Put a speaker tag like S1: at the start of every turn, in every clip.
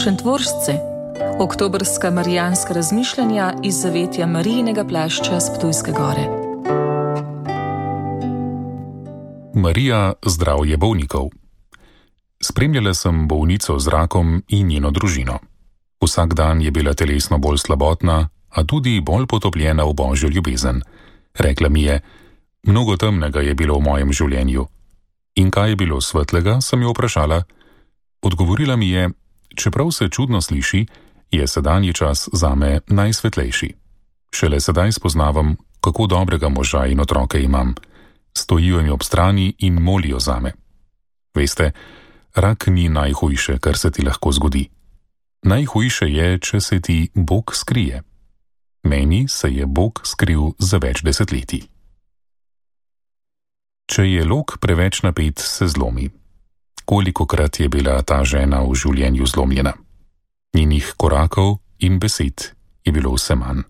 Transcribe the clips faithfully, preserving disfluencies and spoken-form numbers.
S1: Šentvoržce, oktobrska marijanska razmišljanja iz zavetja Marijinega plašča s Ptujske gore.
S2: Marija, zdravje bolnikov. Spremljala sem bolnico z rakom in njeno družino. Vsak dan je bila telesno bolj slabotna, a tudi bolj potopljena v Božjo ljubezen. Rekla mi je, mnogo temnega je bilo v mojem življenju. In kaj je bilo svetlega, sem jo vprašala. Odgovorila mi je, čeprav se čudno sliši, je sedanji čas zame najsvetlejši. Šele sedaj spoznavam, kako dobrega moža in otroke imam. Stojijo mi ob strani in molijo zame. Veste, rak ni najhujše, kar se ti lahko zgodi. Najhujše je, če se ti Bog skrije. Meni se je Bog skril za več desetletij. Če je lok preveč napet, se zlomi. Kolikokrat je bila ta žena v življenju zlomljena. Njenih korakov in besed je bilo vse manj.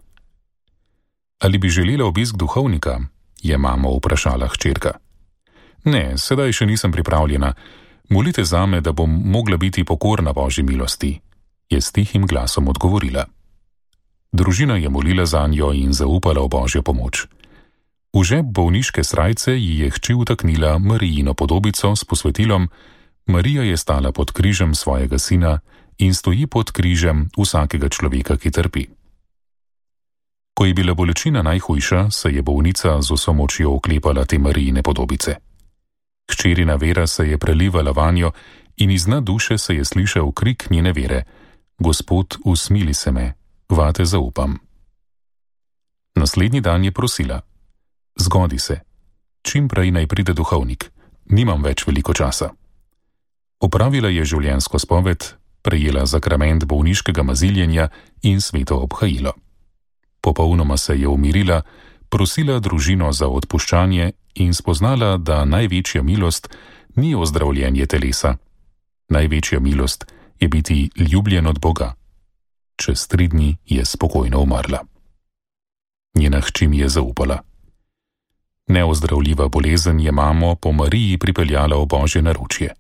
S2: Ali bi želela obisk duhovnika? Je mamo vprašala hčerka. Ne, sedaj še nisem pripravljena. Molite zame, da bom mogla biti pokorna Božji milosti, je s tihim glasom odgovorila. Družina je molila zanjo in zaupala v Božjo pomoč. V žep bolniške srajce ji je hči vtaknila Marijino podobico s posvetilom: Marija je stala pod križem svojega sina in stoji pod križem vsakega človeka, ki trpi. Ko je bila bolečina najhujša, se je bolnica z vso močjo oklepala te Marijine podobice. Hčerina vera se je prelivala vanjo in iz dna duše se je slišal krik njene vere: Gospod, usmili se me, vate zaupam. Naslednji dan je prosila: Zgodi se, čim prej naj pride duhovnik, nimam več veliko časa. Opravila je življenjsko spoved, prejela zakrament bolniškega maziljenja in sveto obhajilo. Popolnoma se je umirila, prosila družino za odpuščanje in spoznala, da največja milost ni ozdravljenje telesa. Največja milost je biti ljubljen od Boga. Čez tri dni je spokojno umrla. Njena hči mi je zaupala. Neozdravljiva bolezen je mamo po Mariji pripeljala v Božje naročje.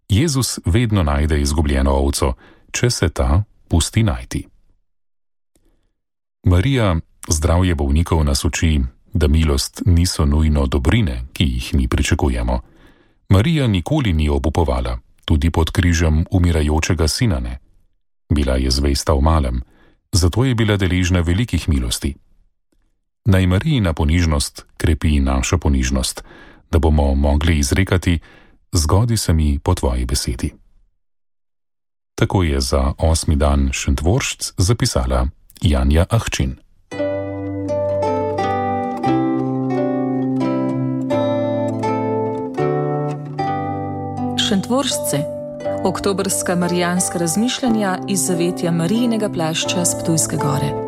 S2: Jezus vedno najde izgubljeno ovco, če se ta pusti najti. Marija, zdravje bolnikov nas uči, da milost niso nujno dobrine, ki jih mi pričakujemo. Marija nikoli ni obupovala, tudi pod križem umirajočega sina ne. Bila je zvesta v malem, zato je bila deležna velikih milosti. Naj Marijina ponižnost krepi našo ponižnost, da bomo mogli izrekati: Zgodi se mi po tvoji besedi. Tako je za osmi dan Šentvoržc zapisala Janja Ahčin.
S1: Šentvoržce, oktobrska marijanska razmišljanja iz zavetja Marijinega plašča s Ptujske gore.